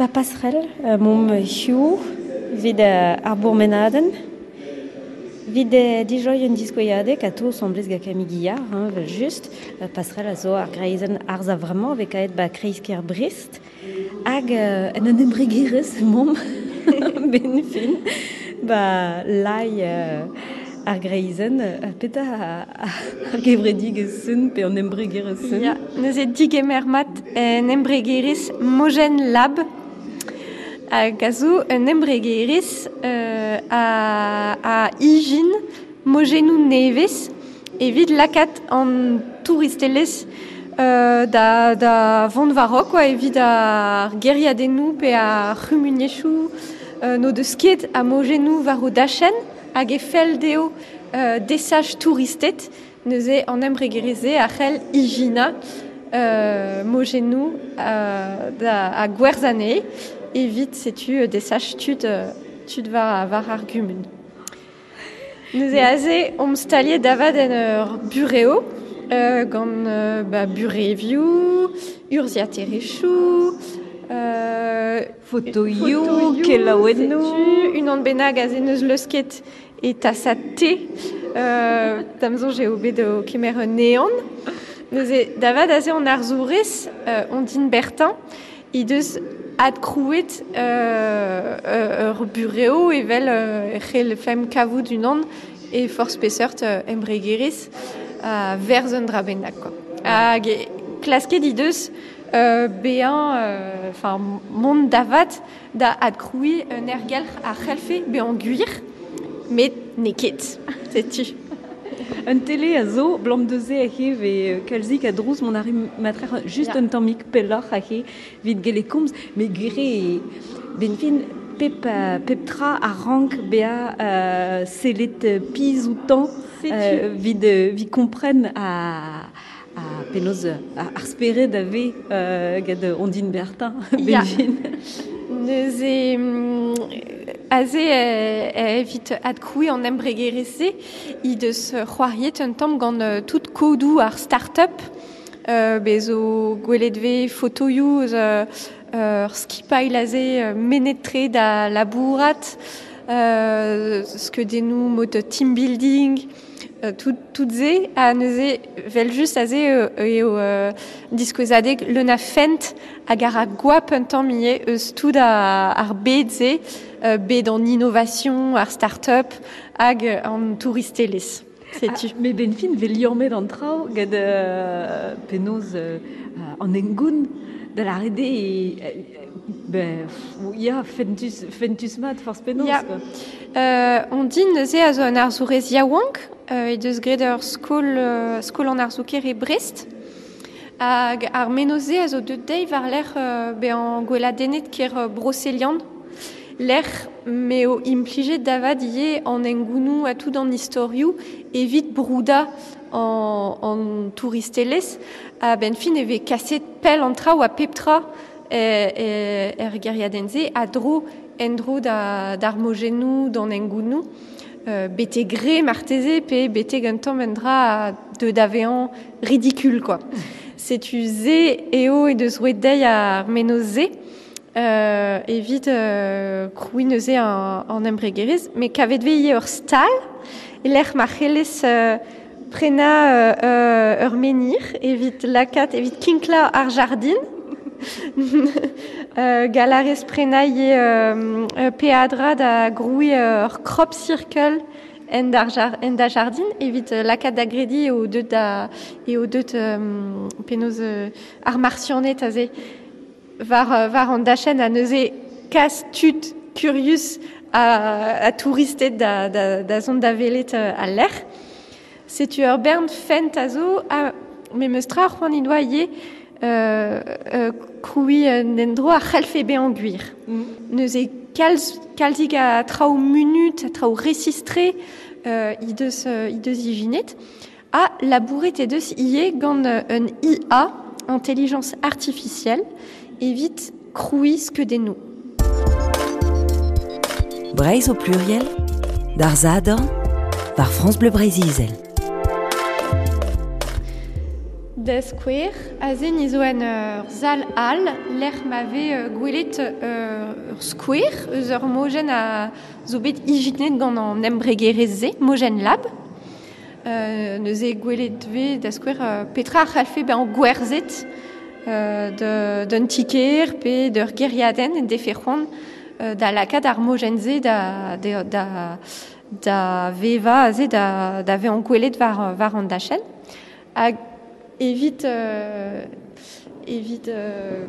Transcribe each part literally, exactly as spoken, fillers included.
Ba passerelle, euh, mom hiu, vid euh, ar bourmenaden, vid euh, dijoi un diskoiadek a to semblez ga Camille Guillard, hein, vel just, euh, passerelle a zo ar greizen arz a vraiment vek aet ba kreisker Brest, hag euh, en un embregerez mom ben fin, ba lai euh, ar greizen, euh, peta ar gevredigez sun pe an embregerez sun. Ya, neuze digemer mat en embregerez Mojen Lab, hag a zo un embregerez euh, a, a ijin mojennoù nevez evit lakaat an touristelezh euh, da, da vont war quoi, evit ar geriadennoù pe ar c'humuniezhioù euh, no deus ket a mojennoù war o dachenn hag e fell dezho euh, desach touristed neuze an embregerez-se a c'hell ijina euh, mojennoù euh, da, a gwerzh anezhe evit setu desach tud, tud war, war ar gumun. Neuze aze omp staliet davad en ur bureo, euh, gant euh, ba, burevioù, urzhiaterezhioù, euh, fotoioù, kelaouennoù. Setu, unan bennak aze neus leusket e tasad te, euh, da'm soñj eo bet o kemer un neon. Neuze davad aze an arzourez, euh, Ondine Bertin, he deus adkrouet euh, euh, ur bureo evel euh, c'hell fem kavout unan e forzh peseurt euh, embregerez a verz un dra bennak, quoi. Hag e klasket he deus euh, bezañ, enfin, mont davat da adkrouiñ un aergelc'h a c'hellfe bezañ gwir, met n'eo ket, setu. Un tele a zo, blam deuze a he ve kalzik a drouz mon arri matrer just Ya. un tammig pelloc'h a he vit gele komz, met gwir eo ben fin pep, euh, pep tra a rank bezañ euh, sellet piz outañ, Setu. euh, vid, euh, vid kompren a, a penaos a, ar spered a vez euh, gant Ondine Bertin, ben Ya. fin. Neuze mm, aze euh, evit adkrouiñ an embregerezh-se, he deus c'hoariet un tamm gant euh, tout kodoù ar start-up, euh, bez zo gwelet vez fotoioù eus euh, ur skipailh aze euh, menet-tre da labourat, euh, skeudennoù mod team building, euh, tout, tout se, ha neuze vel just aze euh, eo euh, diskouezadeg leun a fent hag ar a goap un tamm ivez eus tout a, ar bed-se, euh, bed an innovation, ar start-up hag an touristelezh. Setu. Ah, met ben fin vel liammet an traoù gant euh, penaos euh, an engoun da la rede e, ben, ya, fentus, fentus mat forzh penaos, Ya. quoi. Euh, Ondine neuze a zo un arzourez yaouank, euh, he deus graet ur skol, euh, skol an arzoù-kaer e Brest. Hag ar menoz-se a zo deut dezhi war-lerc'h euh, bezañ gweladennet kêr euh, Broselian. Lec'h m'eo implijet davad ivez an engounoù ha tout an istorioù evit broudañ an, an touristelezh. Ha ben fin e vez kaset pell an traoù ha pep tra e, e, er gêriadenn-se a dro en-dro da, d'ar mojennoù, d'an engounoù. Euh, bete gre marteze pe betek un tamm un dra de davezañ ridicule, quoi. Setu se eo e deus roet dezhi ar menoz-se, euh, evit euh, krouiñ neuze an, an embregerezh, met kavet vez ivez ur stal, e lec'h ma c'hellez euh, prenañ euh, euh, ur menhir evit lakaat, evit kinklañ ar jardin. Euh, galarez prenañ ivez euh, euh, peadra da grouiñ ur crop circle en d'ar jar, en da jardin evit lakaat da grediñ eo deut da, eo deut, euh, penaos, euh, ar martianed aze war, euh, war an dachenn a neuze kas tud kurius a, a touristed da, da, da zont da welet, euh, al lec'h. Setu ur bern fent a zo, a memes tra c'hoant he doa ivez, euh, euh, krouiñ un endro a c'hellfe bezañ gwir. Mm. Neuze kalz, kalzik a traoù munut, a traoù resistre, euh, he deus, euh, he deus ijinet, ha labouret he deus ivez gant, euh, un I A, intelligence artificielle, evit krouiñ skeudennoù. Breizh au pluriel, d'ar Zadorn, war France Bleu Breizh Izel. Da skouer, aze ni zo en ur zal all, lec'h ma vez gwelet ur skouer eus ur mojenn a zo bet ijinet gant an embregerezh-se, Mojenn Lab. Euh, neuze gwelet vez da skouer euh, petra a c'hallfe bezañ gwerzhet euh, de, d'un tiker pe d'ur gêriadenn en defe c'hoant euh, da lakaat ar mojenn-se da, da, da, da vevañ aze da, da vezañ gwelet war, war an dachenn. Hag evit, euh, evit euh,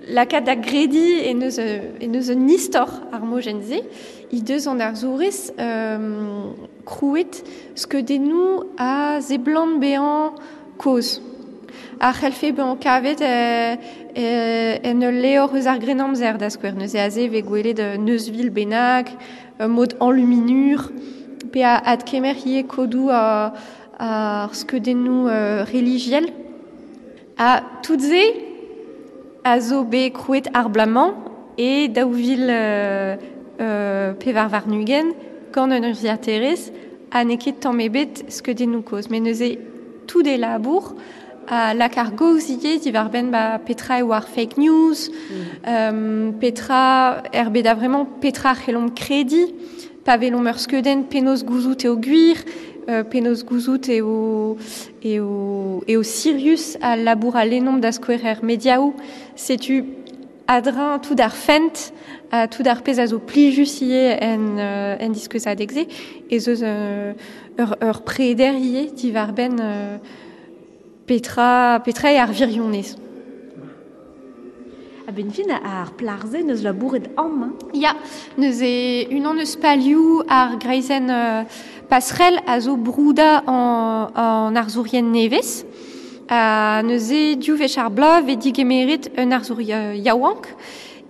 lakaat da grediñ e neus, e neus un istor ar mojenn-se, he deus an arzourez euh, krouet skeudennoù a seblant bezañ kozh. A c'hellfe bezañ kavet euh, euh, en ul levr eus ar Grennamzer da skouer. Neuze aze vez gwelet euh, Neuzvil bennak, euh, mod enluminur, pe a adkemer ivez kodoù a, ar skeudennoù euh, relijiel. Ha tout se a zo bet krouet ar bloaz-mañ e daou vil euh, euh, pevar warn-ugent gant un urzhiataerez ha n'eo ket tamm ebet skeudennoù kozh. Met neuze tout e labour a lak ar gaoz ivez diwar-benn ba petra eo ar fake news, mm. euh, petra er bet a vraiment petra c'hellomp krediñ, pa welomp ur skeudenn penaos gouzout eo gwir, euh, penaos gouzout eo, eo, eo sirius a labour a lennomp da skouer er mediaoù. Setu adrin tout ar fent, a tout ar pezh a zo plijus ivez en, euh, en diskouezadeg-se, ez eus euh, ur, ur preder ivez diwar-benn euh, petra, petra eo ar wirionez. A ben fin ar plac'h-se neus labouret amañ. Ya, neuze unan eus palioù ar greizenn euh, passerelle a zo broudañ an, an arzourien nevez. Ha neuze div wech ar bloaz vez digemeret un arzour yaouank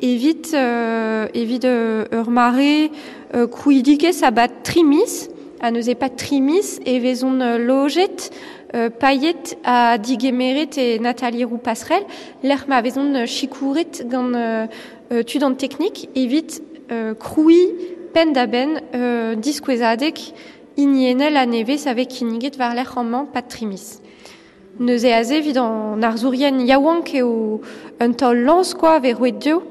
evit, euh, evit euh, ur mare euh, krouidigezh a bad tri miz. Ha neuze pa tri miz e vezont lojet euh, paillet a digemeret e Nathalie Roux Passerelle, lec'h ma vezont sikouret gant euh, tud an teknik evit euh, krouiñ penn da benn euh, diskouezadeg hiniennel a nevez a vez kinniget war lec'h amañ pad tri miz. Neuze aze evit an arzourien yaouank eo un taol lañs quoi vez roet dezho.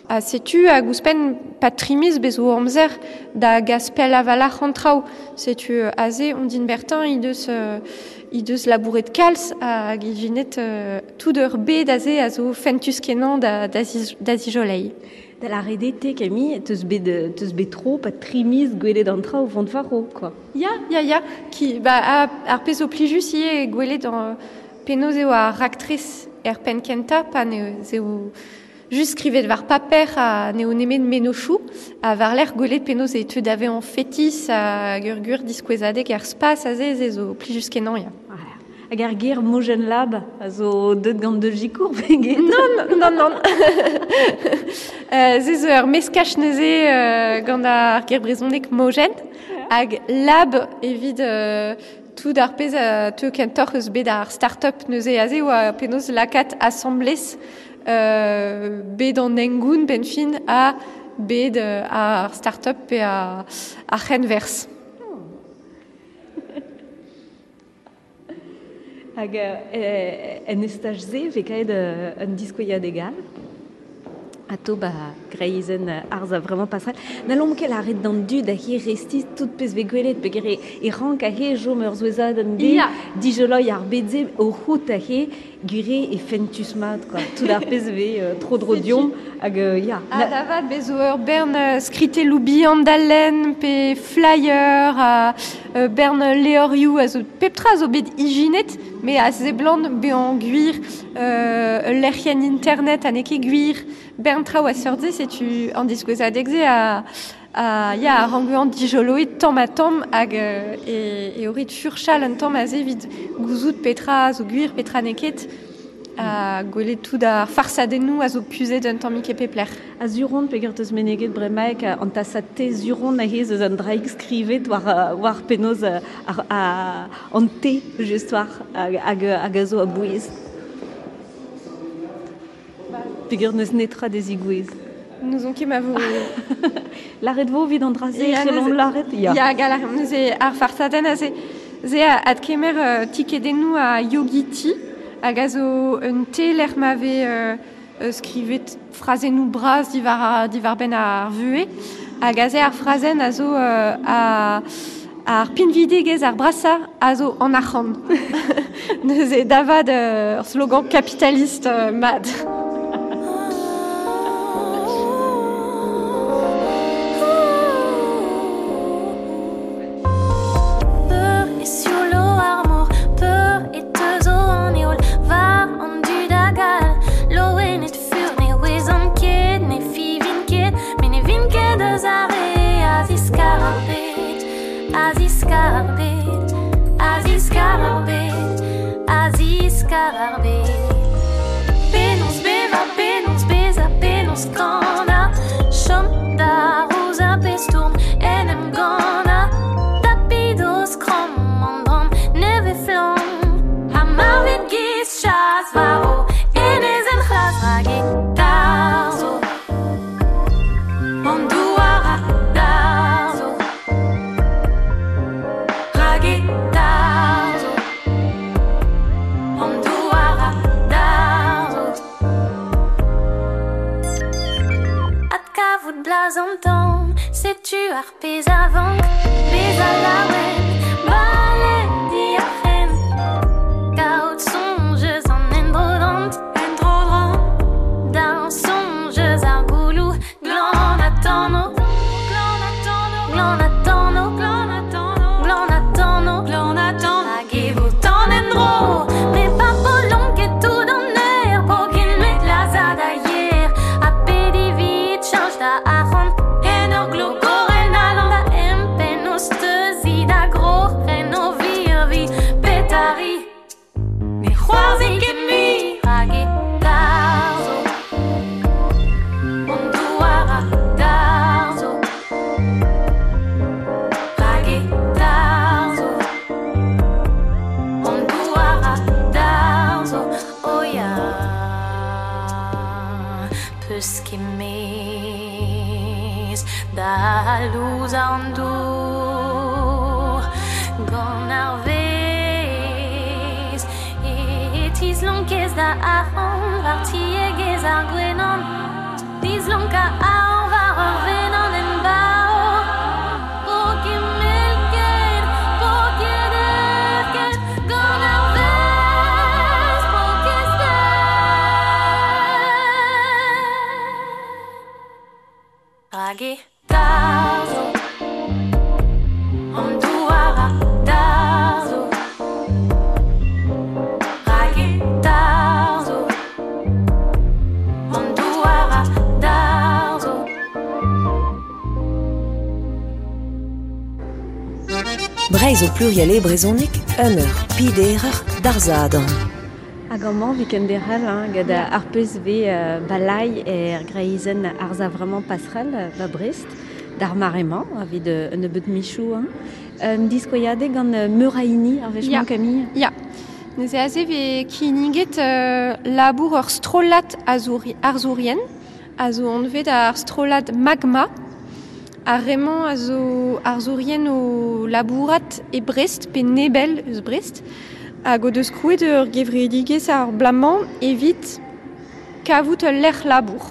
Ha setu hag ouzhpenn pad tri miz bez zo amzer da gas pell a-walc'h an traoù. Setu aze Ondine Bertin he deus, euh, he deus labouret kalz hag ijinet euh, tout ur bed aze a zo fentus kenañ da, da, da zijoleiñ. Da la redete, Camille, teus bet, teus bet tro, pa tri miz gwelet an traoù vont war-raok, quoi. Ya, ya, ya. Ki, ba, a, ar pezh zo plijus ivez gwelet an penaos eo ar raktres er penn kentañ, pa n'eo eo just skrivet war paper ha n'eo nemet mennozhioù, ha war-lerc'h gwelet penaos e teu da vezañ fetis hag ur gwir diskouezadeg er spas aze ze zo plijus kenañ, ya. Hag ar ger Mojenn Lab a zo deut gant deus sikour pe get? Non, non, non. euh, ze zo ur meskaj neuze euh, gant ar ger brezhoneg mojenn hag lab evit euh, tout ar pezh a teu kentoc'h eus bet ar start-up neuze aze oa penaos lakaat asambles euh, bet an hengoun benn fin ha bet euh, ar start-up pe ar, ar c'henwerzh. Hag euh, en estaj-se vez kaet euh, un diskouezadeg all. Ato ba greizenn arz a vraiment passerelle. N'hallomp ket lâret d'an dud a he restiz tout pezh vez gwelet peogwir e, e rank a he chom ur zouezad an de, Ya. dijoloiñ ar bed-se o c'hout a he gwire e fentus mat, quoi. Tout ar pezh vez euh, tro dro diomp hag euh, ya. Ha da vat bez zo ur bern euh, skritelloù bihan da lenn pe flyer ha euh, bern levrioù a zo pep tra zo bet ijinet me a seblant bezañ gwir euh, ul lec'hienn internet ha n'eo ket gwir bern traoù a seurt-se setu an diskouezadeg-se a, a, ya, a rank bezañ dijoloet tamm ha tamm hag euh, e, e orit furchal un tamm aze evit gouzout petra zo gwir, petra n'eo ket, ha gwelet tout ar farsadennoù a zo kuzhet un tammig e pep lec'h. A zuron peogwir teus meneget bremaik an tasad te zuron aze eus an draig skrivet war, war penaos ar, ar, an te just war hag, hag, hag a zo a-bouez. Peogwir n'eus netra da zigouez. N'ouzon ket ma vo... Lâret vo evit an dra-se, Ya, c'hellomp neuze- lâret, ya. Ya, galar, neuze ar farsadenn aze. Ze a adkemer euh, tikedennoù a Yogi Tea. hag a zo un te lec'h ma vez euh, skrivet frazennoù bras diwar, diwar ben ar vue, hag aze ar frazenn a zo euh, a, ar pinvidegezh ar brasa a zo an arc'hant. Neuze davad ur slogan kapitalist euh, mad. Breizh o pluriel e brezhoneg, un eur, piderer, d'ar zadorn. Hag amañ vi ken derc'hel, hein, gant ar pezh vez euh, balai er greizenn arza vraiment passerelle ba Brest, d'ar maremañ, evit un nebeud michou. Hein. Un diskoiadeg gant Meuraini, ar wech-mañ, Camille? Ya. Neuze aze vez kinniget euh, labour ur strollad azouri, arzourien, a zo anvet ar strollad Magma, ar remañ a zo arzourien o labourat e Brest, pe nebel eus Brest, hag o deus krouet ur gevredigezh ar blamañ evit kavout ul lec'h labour.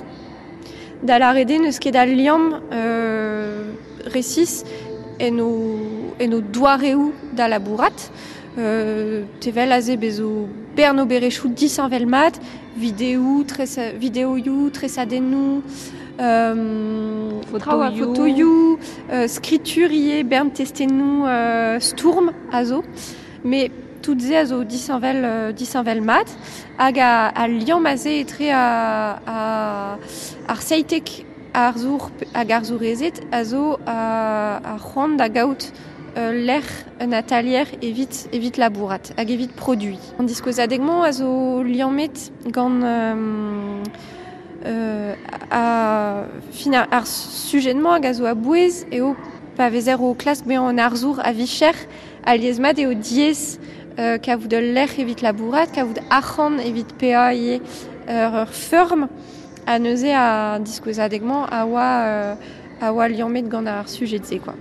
Da lâret eo n'eus ket al liamm euh, resis en o, en o doareoù da labourat. Euh, tevel aze bezo bern oberezhioù disheñvel mat, videoù, tresa, videoioù, tresadennoù, euh, Fotoioù. fotoioù, euh, skritur ivez, bern testennoù euh, stourm a zo. Mais tout se a zo disheñvel, euh, disheñvel mat, hag a, a liamm aze etre a, a, ar seitek arzour hag arzourezed a zo a, a c'hoant da gaout euh, lec'h un atalier evit, evit labourat hag evit produi. An diskouezadeg-mañ a zo liammet gant euh, euh, a, fin ar, ar sujet-mañ hag a zo a-bouez eo pa vezer o klask bezañ an arzour a vicher alies mat eo diaes euh, kavout ul lec'h evit labourat, kavout arc'hant evit paeañ ivez ur, ur feurm a neuze a diskouezadeg-mañ a oa, euh, a oa liammet gant ar sujet-se, quoi.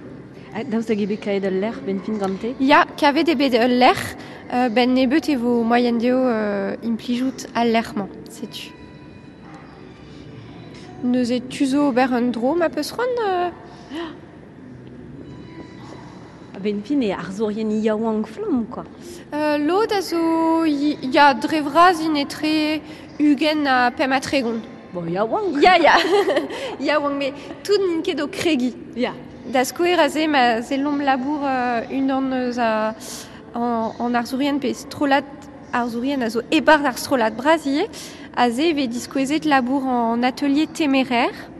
Ah, daoust hag eo bet kaet ul lec'h ben fin gante? Ya, kavet eo bet ul lec'h, euh, ben nebeut e vo moaien dezho euh, implijout al lec'h-mañ, setu. Neuze tu zo ober un dro ma peus c'hoant euh... Ben fin e arzourien yaouank flamm, quoi. Euh, lod a zo ya dre vras int etre ugent ha pemp ha tregont. Bon, yaouank. Ya, ya. Yaouank, met tout n'int ket o kregiñ. Ya. Da skouer aze ma sellomp labour euh, unan eus a, an, an arzourien pe strollad arzourien a zo e-barzh ar strollad bras ivez, aze e vez diskouezet labour an atelier téméraire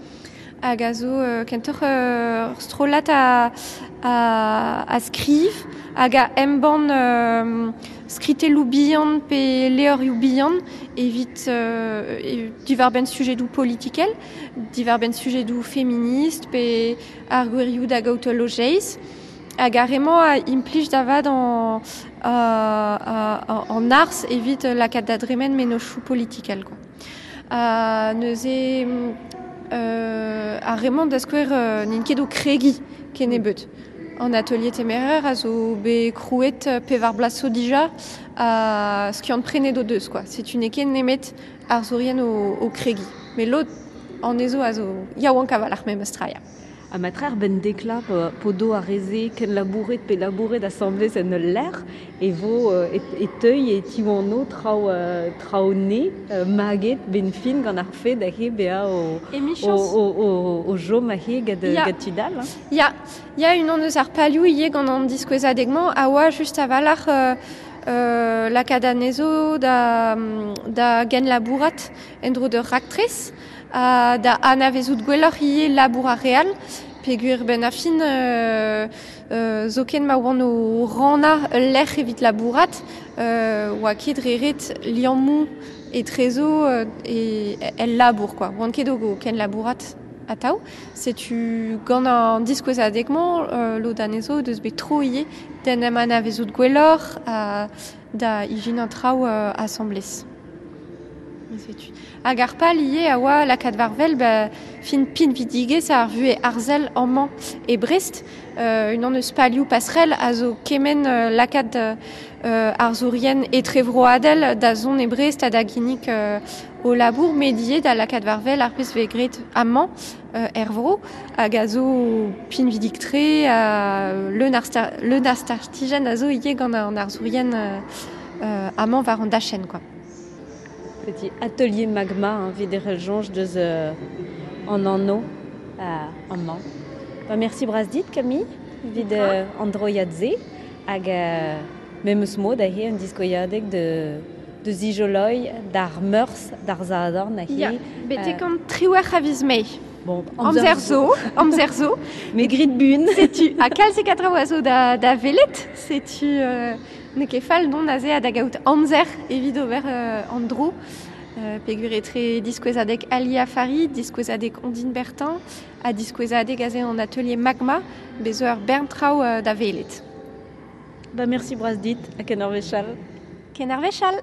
hag a zo euh, kentoc'h euh, strollad a, a, a skriv hag a embann euh, skritelloù bihan pe levrioù bihan evit euh, e, diwar-benn sujedoù politikel, diwar-benn sujedoù feminist pe ar gwirioù da gaout ul lojeiz. Hag ar re-mañ a implij da vat an, a, an arz evit lakaat da dremen mennozhioù politikel, quoi. Uh, neuze euh, ar re-mañ da skouer euh, n'int ket o kregiñ kennebeut. An atelier téméraire a zo bet krouet pevar bloaz zo dija a skiant prenet o deus, quoi. Setu n'eo ket nemet arzourien o, o kregiñ. Met lod anezho a zo yaouank a-walc'h memes tra, ya. Ha matreer ben dekla po do ar reze ken labouret pe labouret asamblez en ul lec'h e vo e, e teuy e tiwano traoù traoù ne maget ben fin gant ar fed ahe bezañ o o o o o jom ahe gant gant tud all. Hein. Ya, ya unan eus ar palioù ivez gant an diskouezadeg-mañ a oa just a-walc'h euh, euh, lakaat anezho da, da genlabourat en-dro d'ur raktres. Uh, da anavezout gwelloc'h ivez labour ar re all, peogwir ben ar fin euh, euh, zoken ma oant o rannañ ul lec'h evit labourat, euh, oa ket dre ret liammoù etrezo euh, e, el labour, quoi. Oant ket o ken labourat atav. Setu gant an diskouezadeg-mañ, euh, lod anezho deus bet tro ivez d'en em anavezout gwelloc'h ha da ijinañ traoù euh, asambles. Setu. Hag ar pal ivez a oa lakaat war-wel ba, fin pinvidigezh ar vuhez arzel amañ e Brest. Euh, unan eus palioù passerelle a zo kement euh, lakaat euh, arzourien etrevroadel da zont e Brest ha da ginnig euh, o labour met ivez da lakaat war-wel ar pezh vez graet amañ euh, er vro hag a zo pinvidik-tre euh, leun ar star, leun ar startijenn a zo ivez gant an arzourien euh, euh, amañ war an dachenn, quoi. Petit atelier magma, hein, evit derc'hel soñj deus euh, an anv euh, amañ. Ba, merci bras dit, Camille, evit euh, an droiad-se hag euh, memes mod aze un diskouezadeg de de zijoloi d'ar meurzh d'ar zadorn aze. Ya, betek an triwec'h a viz Mae. Bon, amzer zo, amzer zo. Met grit buan. Setu, ha kalz e traoù a zo da, da welet, setu euh, n'eo ket fall dont aze ha da gaout amzer evit ober euh, an dro. Euh, peogwir etre diskouezadeg Ali Afari, diskouezadeg Ondine Bertin, ha diskouezadeg aze an atelier Magma, bez zo ur bern traoù euh, da welet. Ba, merci bras dit, ha ken ar wech all. Ken ar wech all.